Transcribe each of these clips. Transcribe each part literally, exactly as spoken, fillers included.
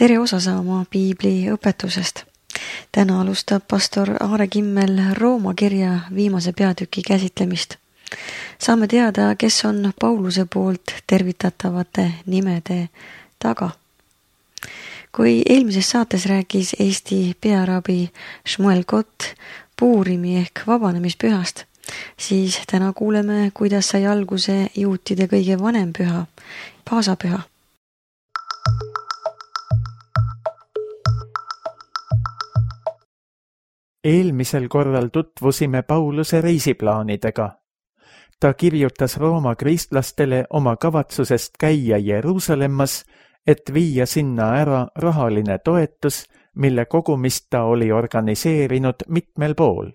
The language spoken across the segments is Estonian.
tere osa saama piibli õpetusest. Täna alustab pastor Aare Kimmel Rooma kirja viimase peatüki käsitlemist. Saame teada, kes on Pauluse poolt tervitatavate nimede taga. Kui eelmises saates rääkis Eesti pearabi Shmuel Kott Puurimi ehk vabanemispühast, siis täna kuuleme, kuidas sai alguse juutide kõige vanem püha, paasapüha. Eelmisel korral tutvusime Pauluse reisiplaanidega. Ta kirjutas Rooma kristlastele oma kavatsusest käia Jeruusalemmas, et viia sinna ära rahaline toetus, mille kogumist ta oli organiseerinud mitmel pool.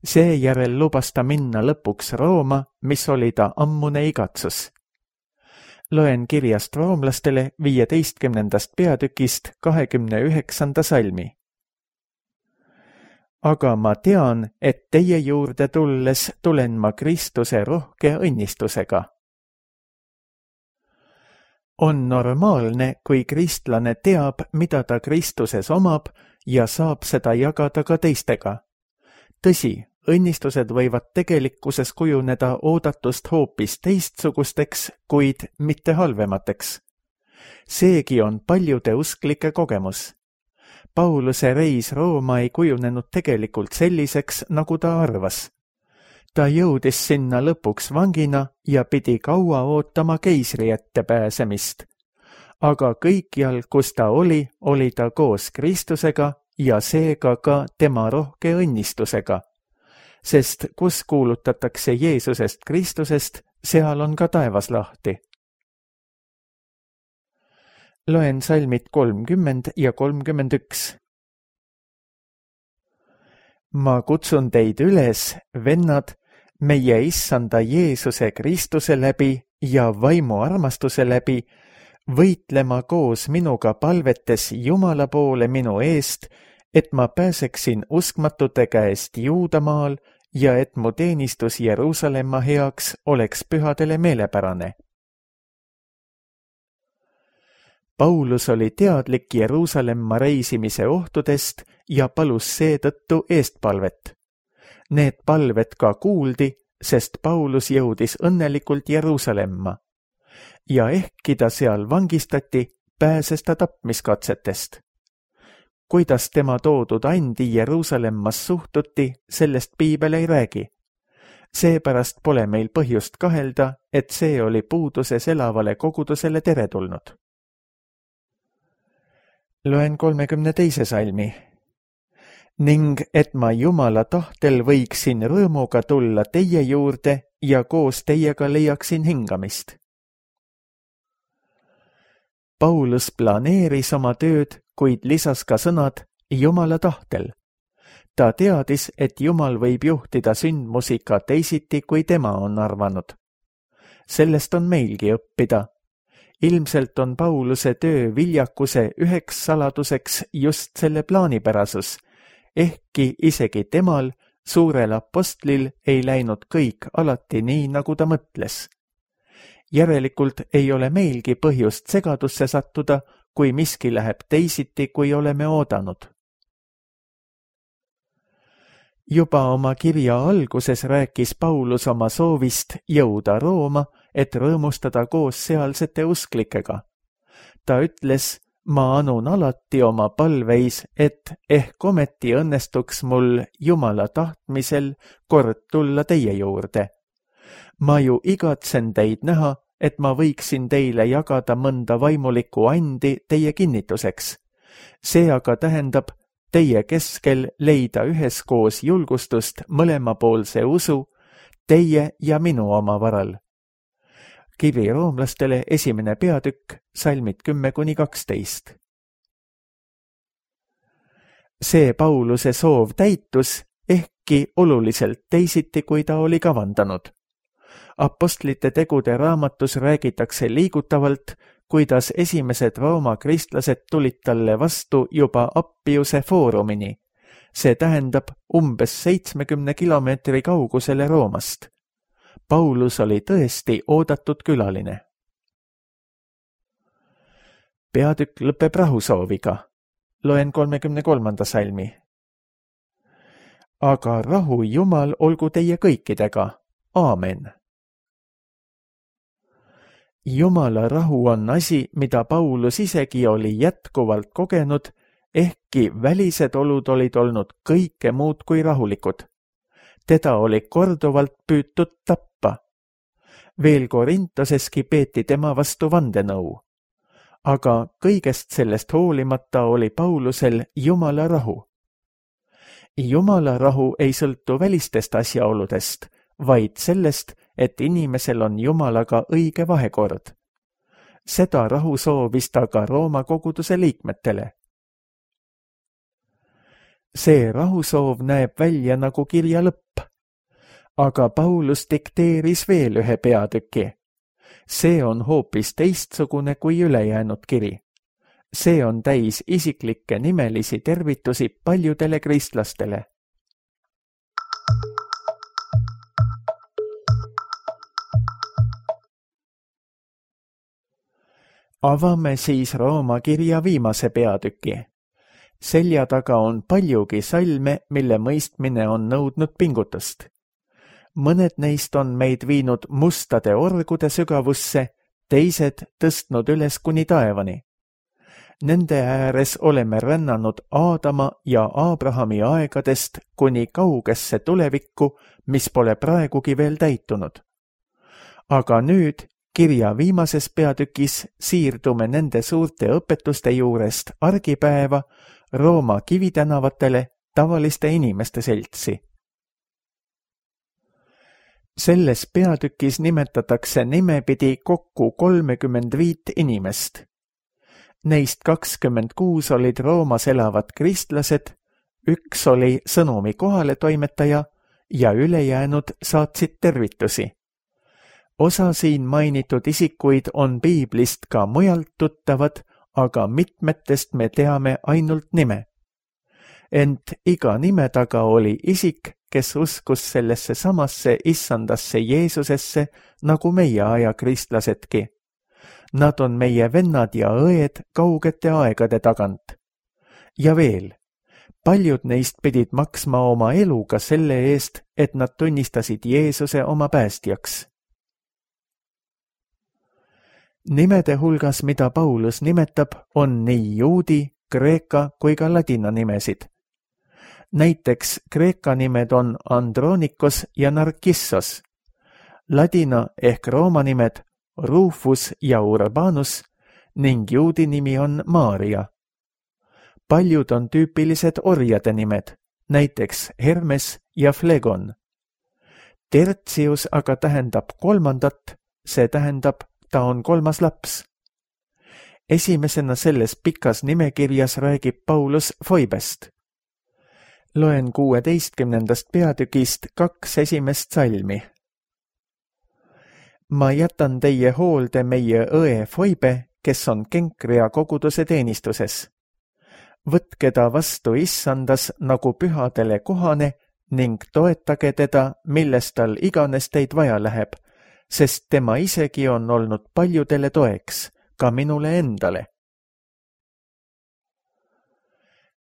Seejärel lubas ta minna lõpuks Rooma, mis oli ta ammune igatsus. Loen kirjast roomlastele viieteistkümnendast peatükist kahekümne üheksanda salmi. Aga ma tean, et teie juurde tulles tulen ma Kristuse rohke õnnistusega. On normaalne, kui kristlane teab, mida ta Kristuses omab ja saab seda jagada ka teistega. Tõsi, õnnistused võivad tegelikkuses kujuneda oodatust hoopis teistsugusteks, kuid mitte halvemateks. Seegi on paljude usklike kogemus. Pauluse reis Rooma ei kujunenud tegelikult selliseks, nagu ta arvas. Ta jõudis sinna lõpuks vangina ja pidi kaua ootama keisri ette pääsemist. Aga kõikjal, kus ta oli, oli ta koos Kristusega ja seega ka tema rohke õnnistusega. Sest kus kuulutatakse Jeesusest Kristusest, seal on ka taevas lahti. Loen salmid kolmkümmend ja kolmkümmend üks. Ma kutsun teid üles, vennad, meie issanda Jeesuse Kristuse läbi ja vaimu armastuse läbi, võitlema koos minuga palvetes Jumala poole minu eest, et ma pääseksin uskmatute käest Juudamaal ja et mu teenistus Jeruusalemma heaks oleks pühadele meelepärane. Paulus oli teadlik Jeruusalemma reisimise ohtudest ja palus seetõttu eestpalvet. Need palved ka kuuldi, sest Paulus jõudis õnnelikult Jeruusalemma. Ja ehkki ta seal vangistati, pääses ta tapmiskatsetest. Kuidas tema toodud andi Jeruusalemmas suhtuti, sellest piibel ei räägi. Seepärast pole meil põhjust kahelda, et see oli puuduses elavale kogudusele teretulnud. Loen kolmekümne teise salmi. Ning et ma Jumala tahtel võiksin rõõmuga tulla teie juurde ja koos teiega leiaksin hingamist. Paulus planeeris oma tööd, kuid lisas ka sõnad Jumala tahtel. Ta teadis, et Jumal võib juhtida sündmusi ka teisiti, kui tema on arvanud. Sellest on meilgi õppida. Ilmselt on Pauluse töö viljakuse üheks saladuseks just selle plaanipärasus, ehkki isegi temal, suurel apostlil, ei läinud kõik alati nii, nagu ta mõtles. Järelikult ei ole meilgi põhjust segadusse sattuda, kui miski läheb teisiti, kui oleme oodanud. Juba oma kirja alguses rääkis Paulus oma soovist jõuda Rooma, et rõõmustada koos sealsete usklikega. Ta ütles, ma anun alati oma palveis, et ehk ometi õnnestuks mul Jumala tahtmisel kord tulla teie juurde. Ma ju igatsen teid näha, et ma võiksin teile jagada mõnda vaimulikku andi teie kinnituseks. See aga tähendab teie keskel leida üheskoos julgustust mõlemapoolse usu, teie ja minu oma varal. Kiri roomlastele esimene peatükk, salmid kümme kuni kaksteist. See Pauluse soov täitus, ehkki oluliselt teisiti, kui ta oli kavandanud. Apostlite tegude raamatus räägitakse liigutavalt, kuidas esimesed Rooma kristlased tulid talle vastu juba Appiuse foorumini. See tähendab umbes seitsmekümne kilomeetri kaugusele Roomast. Paulus oli tõesti oodatud külaline. peatükk lõpeb rahusooviga. Loen kolmekümne kolmanda salmi. Aga rahu Jumal olgu teie kõikidega. Aamen. Jumala rahu on asi, mida Paulus isegi oli jätkuvalt kogenud, ehkki välised olud olid olnud kõike muud kui rahulikud. Teda oli korduvalt püütud tappa. Veel Korintoseski peeti tema vastu vandenõu. Aga kõigest sellest hoolimata oli Paulusel Jumala rahu. Jumala rahu ei sõltu välistest asjaoludest, vaid sellest, et inimesel on Jumalaga õige vahekord. Seda rahu soovis ta ka Rooma koguduse liikmetele. See rahusoov näeb välja nagu kirja lõpp, aga Paulus dikteeris veel ühe peatüki. See on hoopis teistsugune kui ülejäänud kiri. See on täis isiklikke nimelisi tervitusi paljudele kristlastele. Avame siis Rooma kirja viimase peatüki. Selja taga on paljugi salme, mille mõistmine on nõudnud pingutust. Mõned neist on meid viinud mustade orgude sügavusse, teised tõstnud üles kuni taevani. Nende ääres oleme rännanud Aadama ja Abrahami aegadest kuni kaugesse tulevikku, mis pole praegugi veel täitunud. Aga nüüd, kirja viimases peatükis, siirdume nende suurte õpetuste juurest argipäeva Rooma kivitänavatele tavaliste inimeste seltsi. Selles peatükis nimetatakse nimepidi kokku kolmekümmend viit inimest. Neist kakskümmend kuus olid Roomas elavad kristlased, üks oli sõnumi kohaletoimetaja ja ülejäänud saatsid tervitusi. Osa siin mainitud isikuid on piiblist ka mujalt tuttavad, aga mitmetest me teame ainult nime. Ent iga nime taga oli isik, kes uskus sellesse samasse issandasse Jeesusesse, nagu meie aja kristlasedki. Nad on meie vennad ja õed kaugete aegade tagant. Ja veel, paljud neist pidid maksma oma eluga selle eest, et nad tunnistasid Jeesuse oma päästjaks. Nimede hulgas, mida Paulus nimetab, on nii juudi, kreeka kui ka ladina nimesid. Näiteks kreeka nimed on Andronikos ja Narkissos, ladina ehk rooma nimed Rufus ja Urbanus ning juudi nimi on Maria. Paljud on tüüpilised orjade nimed, näiteks Hermes ja Flegon. Tertius aga tähendab kolmandat, see tähendab, ta on kolmas laps. Esimesena selles pikas nimekirjas räägib Paulus Foibest. Loen kuueteistkümnendast peatükist kaks esimest salmi. Ma jätan teie hoolde meie õe Foibe, kes on Kenkrea koguduse teenistuses. Võtke ta vastu issandas nagu pühadele kohane ning toetage teda, milles tal iganes teid vaja läheb, sest tema isegi on olnud paljudele toeks, ka minule endale.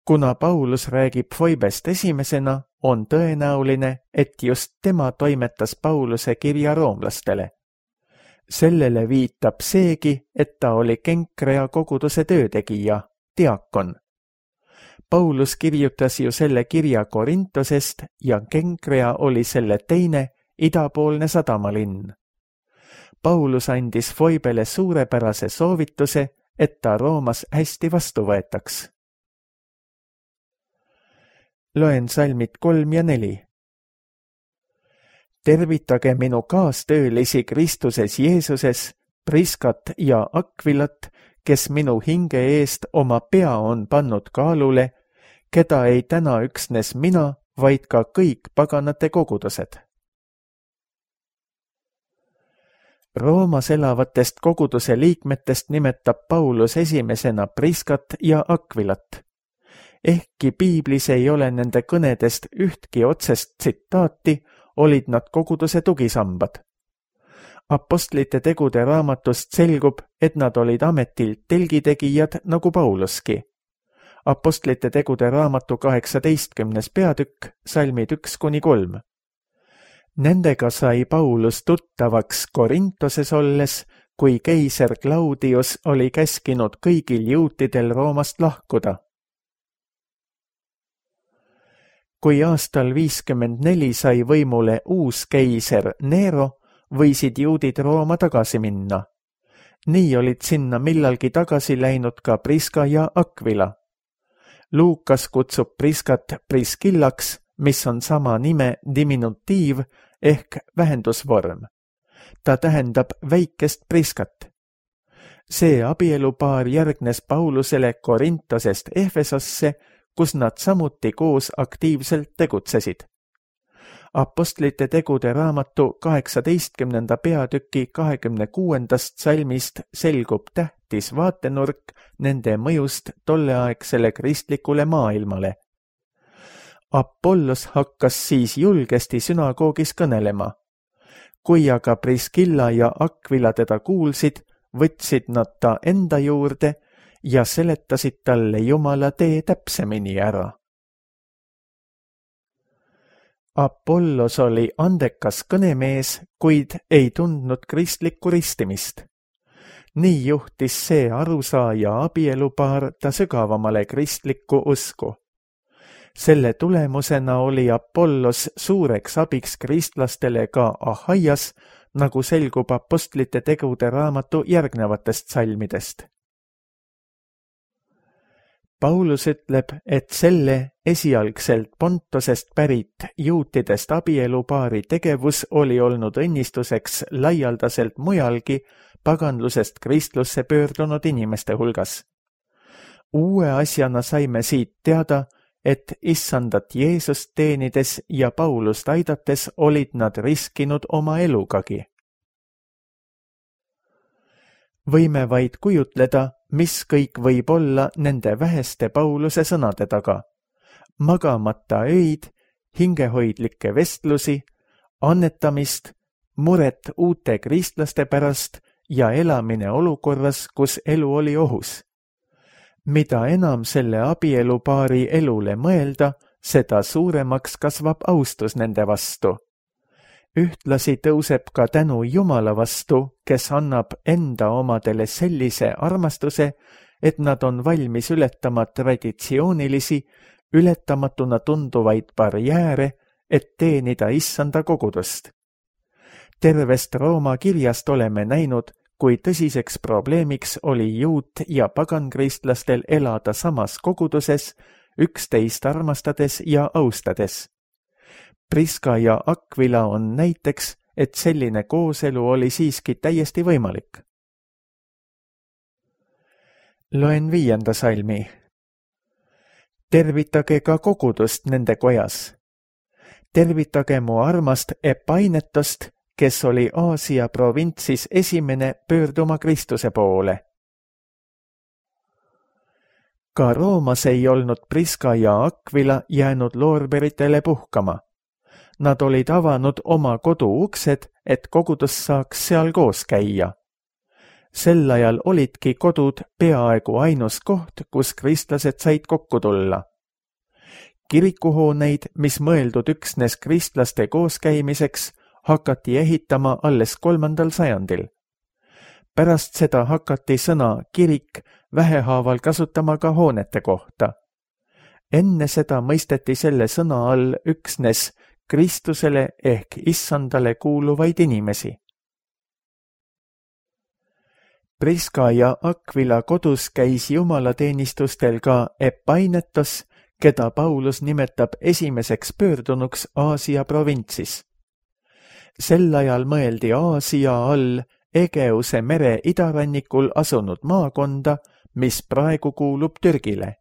Kuna Paulus räägib Foibest esimesena, on tõenäoline, et just tema toimetas Pauluse kirja roomlastele. Sellele viitab seegi, et ta oli Kenkrea koguduse töötegija, diakon. Paulus kirjutas ju selle kirja Korintosest ja Kenkrea oli selle teine idapoolne sadamalinn. Paulus andis Foibele suurepärase soovituse, et ta Roomas hästi vastu võetaks. Loen salmid kolm ja neli. Tervitage minu kaastöölisi Kristuses Jeesuses, Priskat ja Akvilat, kes minu hinge eest oma pea on pannud kaalule, keda ei täna üksnes mina, vaid ka kõik paganate kogudused. Roomas elavatest koguduse liikmetest nimetab Paulus esimesena Priskat ja Akvilat. Ehkki piiblis ei ole nende kõnedest ühtki otsest tsitaati, olid nad koguduse tugisambad. Apostlite tegude raamatust selgub, et nad olid ametilt telgitegijad nagu Pauluski. Apostlite tegude raamatu kaheksateistkümnes peatükk, salmid üks kuni kolm. Nendega sai Paulus tuttavaks Korintoses olles, kui keiser Claudius oli käskinud kõigil juutidel Roomast lahkuda. Kui aastal viiskümmend neli sai võimule uus keiser Nero, võisid juudid Rooma tagasi minna. Nii olid sinna millalgi tagasi läinud ka Priska ja Aquila. Luukas kutsub Priskat Priskillaks, mis on sama nime diminutiiv ehk vähendusvorm. Ta tähendab väikest Priskat. See abielupaar järgnes Paulusele Korintosest Efesosse, kus nad samuti koos aktiivselt tegutsesid. Apostlite tegude raamatu kaheksateistkümnenda peatüki kahekümne kuuendast salmist selgub tähtis vaatenurk nende mõjust tolleaegsele kristlikule maailmale. Apollos hakkas siis julgesti sünagoogis kõnelema. Kui aga Priskilla ja Aquila teda kuulsid, võtsid nad ta enda juurde ja seletasid talle Jumala tee täpsemini ära. Apollos oli andekas kõnemees, kuid ei tundnud kristlikku ristimist. Nii juhtis see arusaaja abielupaar ta sügavamale kristlikku usku. Selle tulemusena oli Apollos suureks abiks kristlastele ka Ahaias, nagu selgub apostlite tegude raamatu järgnevatest salmidest. Paulus ütleb, et selle esialgselt Pontosest pärit juutidest abielupaari tegevus oli olnud õnnistuseks laialdaselt mujalgi paganlusest kristlusse pöördunud inimeste hulgas. Uue asjana saime siit teada, et issandat Jeesust teenides ja Paulust aidates olid nad riskinud oma elugagi. Võime vaid kujutleda, mis kõik võib olla nende väheste Pauluse sõnade taga. Magamata öid, hingehoidlikke vestlusi, annetamist, muret uute kristlaste pärast ja elamine olukorras, kus elu oli ohus. Mida enam selle abielupaari elule mõelda, seda suuremaks kasvab austus nende vastu. Ühtlasi tõuseb ka tänu Jumala vastu, kes annab enda omadele sellise armastuse, et nad on valmis ületama traditsioonilisi, ületamatuna tunduvaid barjääre, et teenida issanda kogudust. Tervest Rooma kirjast oleme näinud, kui tõsiseks probleemiks oli juut- ja pagankristlastel elada samas koguduses, üksteist armastades ja austades. Priska ja Aquila on näiteks, et selline kooselu oli siiski täiesti võimalik. Loen viienda salmi. Tervitage ka kogudust nende kojas. Tervitage mu armast Epainetost, kes oli Aasia provintsis esimene pöörduma Kristuse poole. Ka Roomas ei olnud Priska ja Aquila jäänud loorberitele puhkama. Nad olid avanud oma kodu uksed, et kogudus saaks seal koos käia. Sel ajal olidki kodud peaaegu ainus koht, kus kristlased said kokku tulla. Kirikuhooneid, mis mõeldud üksnes kristlaste kooskäimiseks, hakati ehitama alles kolmandal sajandil. Pärast seda hakati sõna kirik vähehaaval kasutama ka hoonete kohta. Enne seda mõisteti selle sõna all üksnes Kristusele ehk issandale kuuluvaid inimesi. Priska ja Aquila kodus käis jumalateenistustel ka Epainetos, keda Paulus nimetab esimeseks pöördunuks Aasia provintsis. Sel ajal mõeldi Aasia all Egeuse mere idarannikul asunud maakonda, mis praegu kuulub Türgile.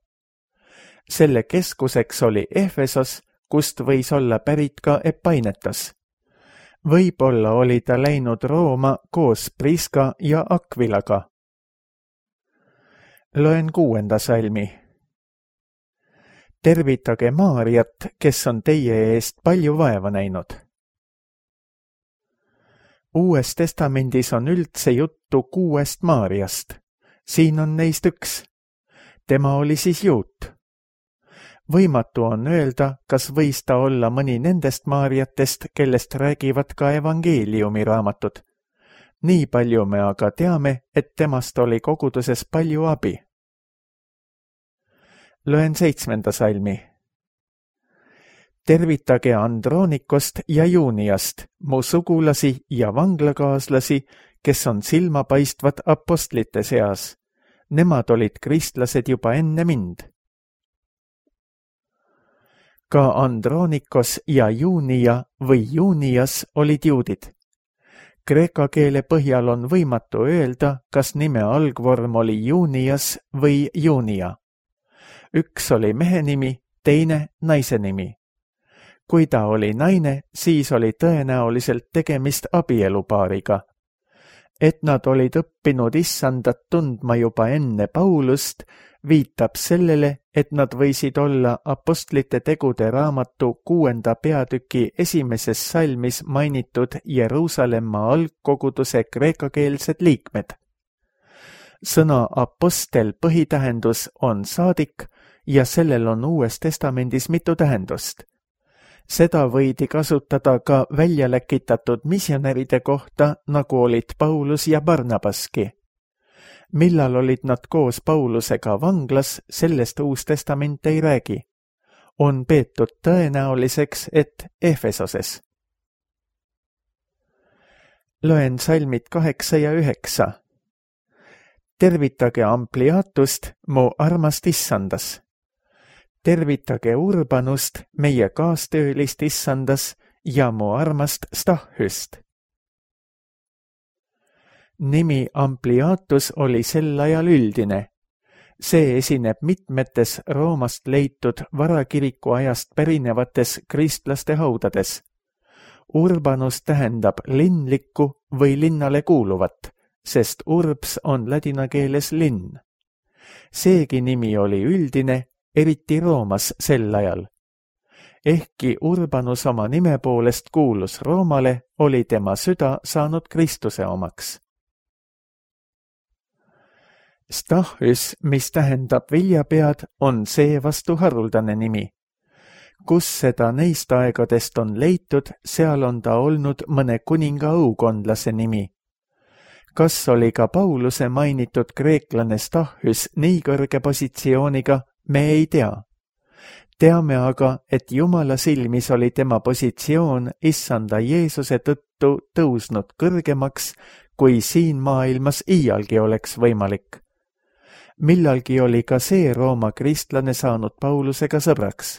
Selle keskuseks oli Efesos, kust võis olla pärit ka Epainetos. Võib-olla oli ta läinud Rooma koos Priska ja Aquilaga. Loen kuuenda salmi. Tervitage Maariat, kes on teie eest palju vaeva näinud. Uues testamendis on üldse juttu kuuest Maarjast. Siin on neist üks. Tema oli siis juut. Võimatu on öelda, kas võis ta olla mõni nendest Maarjatest, kellest räägivad ka evangeeliumi raamatud. Nii palju me aga teame, et temast oli koguduses palju abi. Loen seitsmenda salmi. Tervitage Andronikost ja Juuniast, mu sugulasi ja vanglakaaslasi, kes on silmapaistvad apostlite seas. Nemad olid kristlased juba enne mind. Ka Andronikos ja Juunia või Juunias olid juudid. Kreeka keele põhjal on võimatu öelda, kas nime algvorm oli Juunias või Juunia. Üks oli mehe nimi, teine naise nimi. Kui ta oli naine, siis oli tõenäoliselt tegemist abielupaariga. Et nad olid õppinud issandat tundma juba enne Paulust, viitab sellele, et nad võisid olla apostlite tegude raamatu kuuenda peatüki esimeses salmis mainitud Jeruusalemma algkoguduse kreekakeelsed liikmed. Sõna apostel põhitähendus on saadik ja sellel on Uues testamendis mitu tähendust. Seda võidi kasutada ka välja läkitatud misjonäride kohta, nagu olid Paulus ja Barnabaski. Millal olid nad koos Paulusega vanglas, sellest Uus testament ei räägi. On peetud tõenäoliseks, et Efesoses. Loen salmid kaheksa ja üheksa. Tervitage Ampliatust, mu armast issandas. Tervitage Urbanust, meie kaastöölist issandas ja mu armast Stahhyst. Nimi Ampliatus oli sel ajal üldine. See esineb mitmetes Roomast leitud varakiriku ajast pärinevates kristlaste haudades. Urbanus tähendab linlikku või linnale kuuluvat, sest urbs on ladina keeles linn. Seegi nimi oli üldine, eriti Roomas sel ajal. Ehkki Urbanus oma nime poolest kuulus Roomale, oli tema süda saanud Kristuse omaks. Stahhys, mis tähendab viljapead, on seevastu haruldane nimi. Kus seda neist aegadest on leitud, seal on ta olnud mõne kuninga aukondlase nimi. Kas oli ka Pauluse mainitud kreeklane Stahhys nii kõrge positsiooniga, me ei tea. Teame aga, et Jumala silmis oli tema positsioon issanda Jeesuse tõttu tõusnud kõrgemaks, kui siin maailmas iialgi oleks võimalik. Millalgi oli ka see Rooma kristlane saanud Paulusega sõbraks.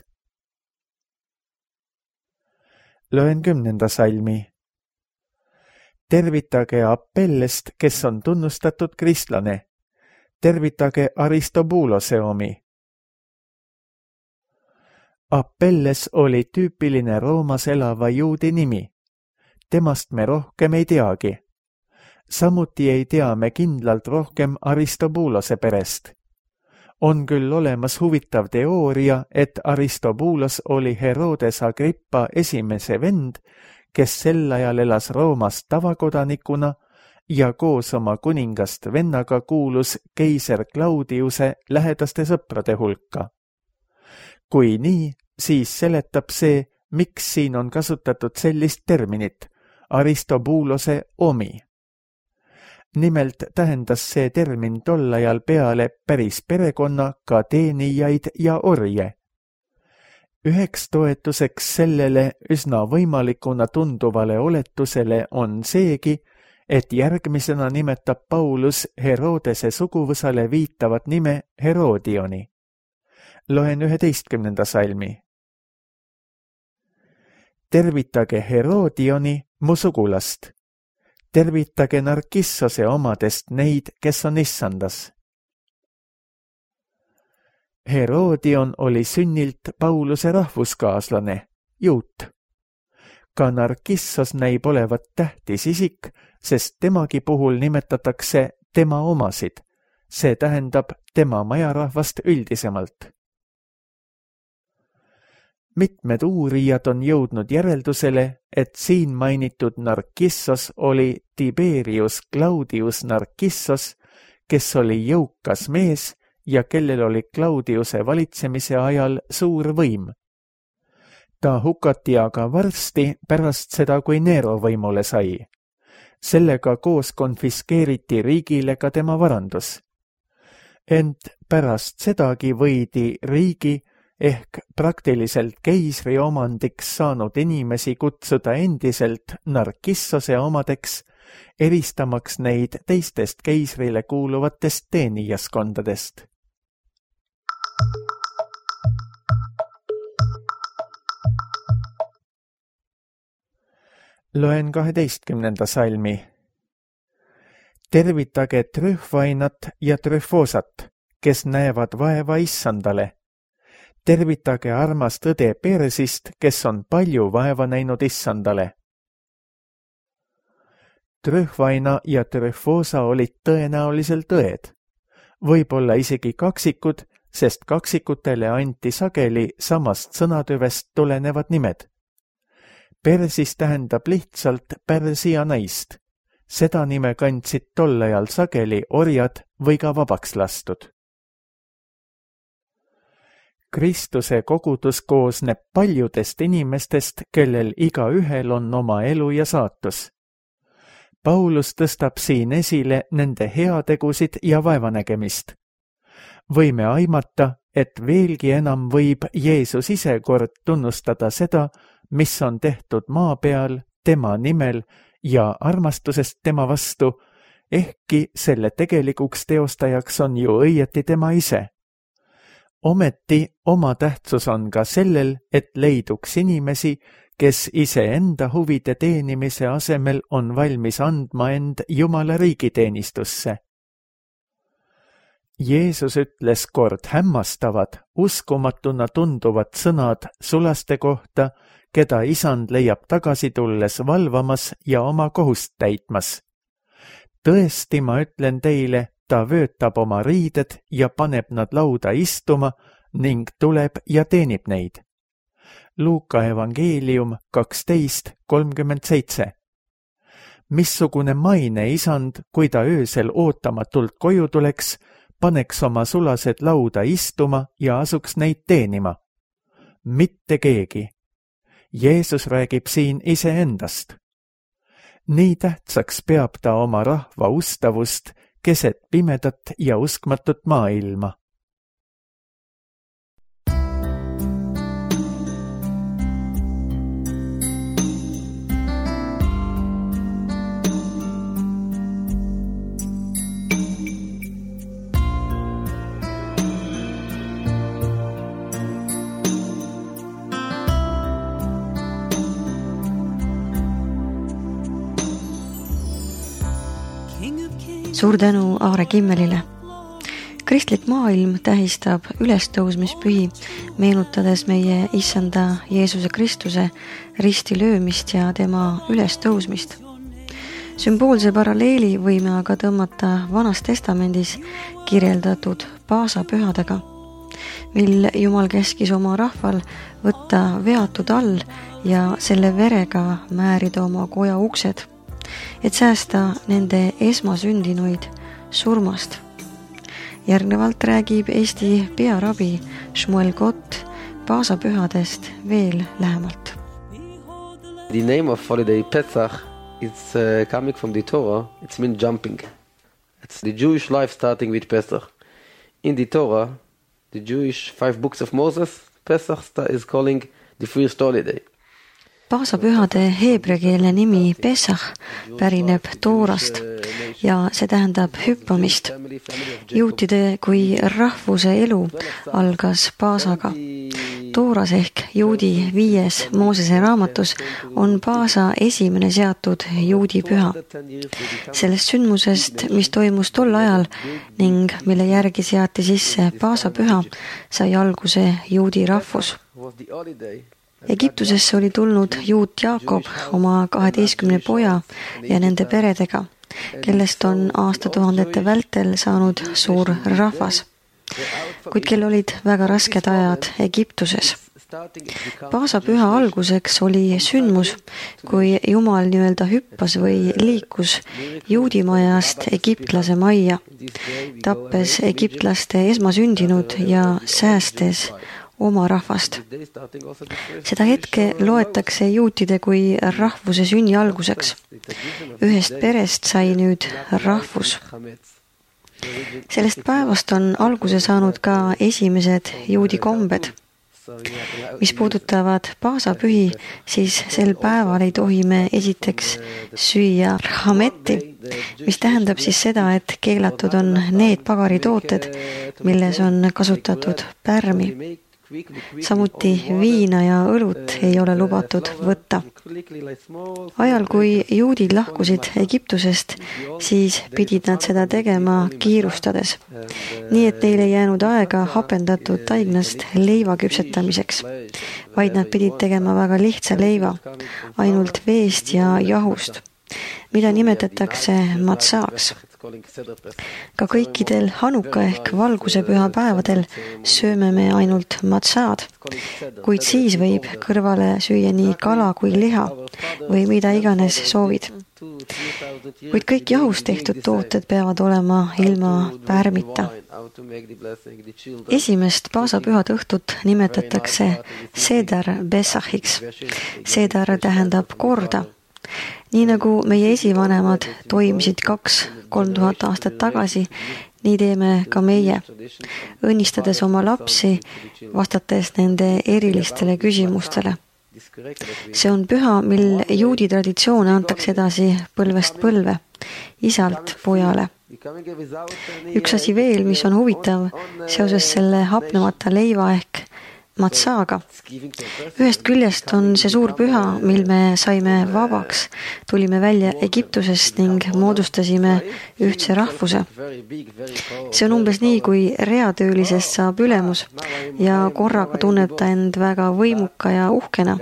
Loen kümnenda salmi. Tervitage Apellest, kes on tunnustatud kristlane. Tervitage Aristobulose omi. Apelles oli tüüpiline Roomas elava juudi nimi. Temast me rohkem ei teagi. Samuti ei tea me kindlalt rohkem Aristobulose perest. On küll olemas huvitav teooria, et Aristobulos oli Herodes Agrippa esimese vend, kes sel ajal elas Roomas tavakodanikuna ja koos oma kuningast vennaga kuulus keiser Claudiuse lähedaste sõprade hulka. Kui nii, siis seletab see, miks siin on kasutatud sellist terminit, Aristobulose omi. Nimelt tähendas see termin tol ajal peale päris perekonna, ka teenijaid ja orje. Üheks toetuseks sellele üsna võimalikuna tunduvale oletusele on seegi, et järgmisena nimetab Paulus Herodese suguvõsale viitavat nime Herodioni. Loen üheteistkümnenda salmi. Tervitage Herodioni, mu sugulast. Tervitage Narkissose omadest neid, kes on issandas. Herodion oli sünnilt Pauluse rahvuskaaslane, juut. Ka Narkissos näib olevat tähtis isik, sest temagi puhul nimetatakse tema omasid, see tähendab tema majarahvast üldisemalt. Mitmed uurijad on jõudnud järeldusele, et siin mainitud Narkissos oli Tiberius Claudius Narkissos, kes oli jõukas mees ja kellel oli Claudiuse valitsemise ajal suur võim. Ta hukati aga varsti pärast seda, kui Nero võimule sai. Sellega koos konfiskeeriti riigile ka tema varandus. Ent pärast sedagi võidi riigi ehk praktiliselt keisri omandiks saanud inimesi kutsuda endiselt Narkissose omadeks, eristamaks neid teistest keisrile kuuluvatest teenijaskondadest. Loen kaheteistkümnenda salmi. Tervitage Trühvainat ja Trüfosat, kes näevad vaeva issandale. Tervitage armast õde Persist, kes on palju vaeva näinud issandale. Trühvaina ja Trüfosa olid tõenäoliselt õed. Võib-olla isegi kaksikud, sest kaksikutele anti sageli samast sõnatüvest tulenevad nimed. Persis tähendab lihtsalt Pärsia naist. Seda nime kandsid tol ajal sageli orjad või ka vabaks lastud. Kristuse kogudus koosneb paljudest inimestest, kellel igaühel on oma elu ja saatus. Paulus tõstab siin esile nende heategusid ja vaevanägemist. Võime aimata, et veelgi enam võib Jeesus ise kord tunnustada seda, mis on tehtud maa peal tema nimel ja armastusest tema vastu, ehkki selle tegelikuks teostajaks on ju õieti tema ise. Ometi oma tähtsus on ka sellel, et leiduks inimesi, kes iseenda huvide teenimise asemel on valmis andma end Jumala riigiteenistusse. Jeesus ütles kord hämmastavad, uskumatuna tunduvad sõnad sulaste kohta, keda isand leiab tagasi tulles valvamas ja oma kohust täitmas. Tõesti, ma ütlen teile, ta vöötab oma riided ja paneb nad lauda istuma ning tuleb ja teenib neid. Luuka evangeelium kaksteist kolmkümmend seitse. Missugune maine isand, kui ta öösel ootamatult koju tuleks, paneks oma sulased lauda istuma ja asuks neid teenima? Mitte keegi. Jeesus räägib siin iseendast. Nii tähtsaks peab ta oma rahva ustavust keset pimedat ja uskmatut maailma. Suur tänu Aare Kimmelile. Kristlik maailm tähistab ülestõusmispühi, meenutades meie issanda Jeesuse Kristuse risti löömist ja tema ülestõusmist. Sümboolse paralleeli võime aga tõmmata Vanas Testamendis kirjeldatud paasapühadega, mil Jumal käskis oma rahval võtta veatud all ja selle verega määrida oma koja uksed, et säästa nende esmasündinuid surmast. Järgnevalt räägib Eesti pearabi Shmuel Gott paasapühadest veel lähemalt. The name of holiday Pesach is uh, coming from the Torah. It's mean jumping. It's the Jewish life starting with Pesach. In the Torah, the Jewish five books of Moses, Pesach is calling the first holiday. Paasapühade heebreakeelne nimi Pesach pärineb Toorast ja see tähendab hüppamist. Juutide kui rahvuse elu algas Paasaga. Tooras ehk juudi viies Moosese raamatus on Paasa esimene seatud juudi püha. Sellest sündmusest, mis toimus tol ajal ning mille järgi seati sisse Paasapüha, sai alguse juudi rahvus. Egiptusesse oli tulnud juut Jaakob oma kaheteistkümne poja ja nende peredega, kellest on aastatuhandete vältel saanud suur rahvas, kuid kel olid väga rasked ajad Egiptuses. Paasapüha alguseks oli sündmus, kui Jumal nii-öelda hüppas või liikus juudimajast egiptlase majja, tappes egiptlaste esmasündinud ja säästes oma rahvast. Seda hetke loetakse juutide kui rahvuse sünni alguseks. Ühest perest sai nüüd rahvus. Sellest päevast on alguse saanud ka esimesed juudi kombed. Mis puudutavad paasapühi, siis sel päeval ei tohi me esiteks süüa hametti, mis tähendab siis seda, et keelatud on need pagaritooted, milles on kasutatud pärmi. Samuti viina ja õlut ei ole lubatud võtta. Ajal, kui juudid lahkusid Egiptusest, siis pidid nad seda tegema kiirustades, nii et neil ei jäänud aega hapendatud taignast leiva küpsetamiseks, vaid nad pidid tegema väga lihtsa leiva, ainult veest ja jahust, mida nimetatakse matsaaks. Ka kõikidel Hanuka ehk valgusepüha päevadel sööme me ainult matsaad, kuid siis võib kõrvale süüa nii kala kui liha või mida iganes soovid. Kuid kõik jahust tehtud tooted peavad olema ilma pärmita. Esimest paasapühad õhtut nimetatakse Seder Besachiks. Seder tähendab korda. Nii nagu meie esivanemad toimisid kaks, kolm tuhat aastat tagasi, nii teeme ka meie, õnnistades oma lapsi, vastates nende erilistele küsimustele. See on püha, mil juudi traditsioone antakse edasi põlvest põlve, isalt pojale. Üks asi veel, mis on huvitav seoses selle hapnemata leiva ehk matsaaga. Ühest küljest on see suur püha, mil me saime vabaks, tulime välja Egiptusest ning moodustasime ühtse rahvuse. See on umbes nii, kui reatöölisest saab ülemus ja korraga tunneb ta end väga võimuka ja uhkena.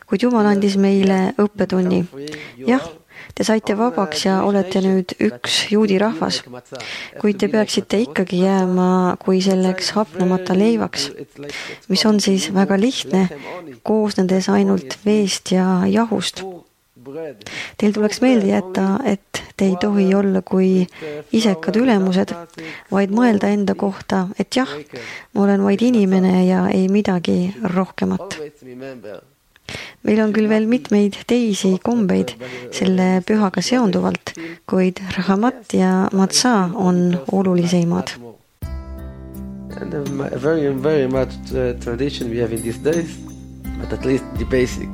Kuid Jumal andis meile õppetunni. Jah, te saite vabaks ja olete nüüd üks juudi rahvas, kuid te peaksite ikkagi jääma kui selleks hapnemata leivaks, mis on siis väga lihtne, koosnedes ainult veest ja jahust. Teil tuleks meelde jätta, et te ei tohi olla kui isekad ülemused, vaid mõelda enda kohta, et jah, ma olen vaid inimene ja ei midagi rohkemat. Meil on küll veel mitmeid teisi kombeid selle pühaga seonduvalt, kuid rahamat ja matsa on olulisemad. And a very, very much uh, tradition we have in these days, but at least the basic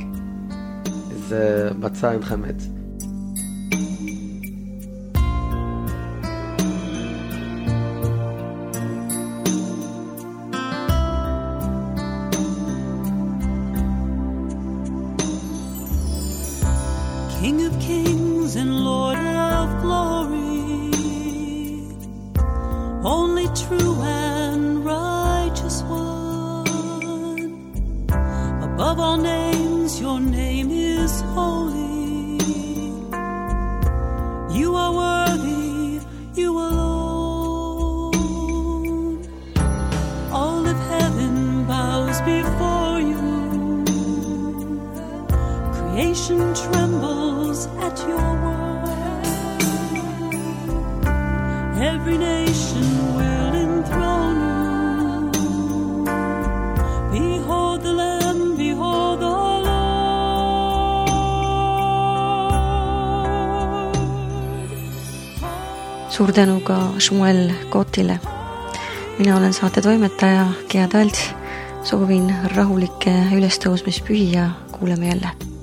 is uh, matza and chametz. King of kings and Lord of glory, only true and righteous one. Above all names, your name is holy. You are worthy, you alone. All of heaven bows before you. Creation trembles at your word. Every nation will enthrone you. Behold the Lamb, behold the Lord. Suur tänu ka Shmuel Kotile. Mina olen saate toimetaja Gea Talts. Soovin rahulikke ülestõusmispühi ja kuuleme jälle.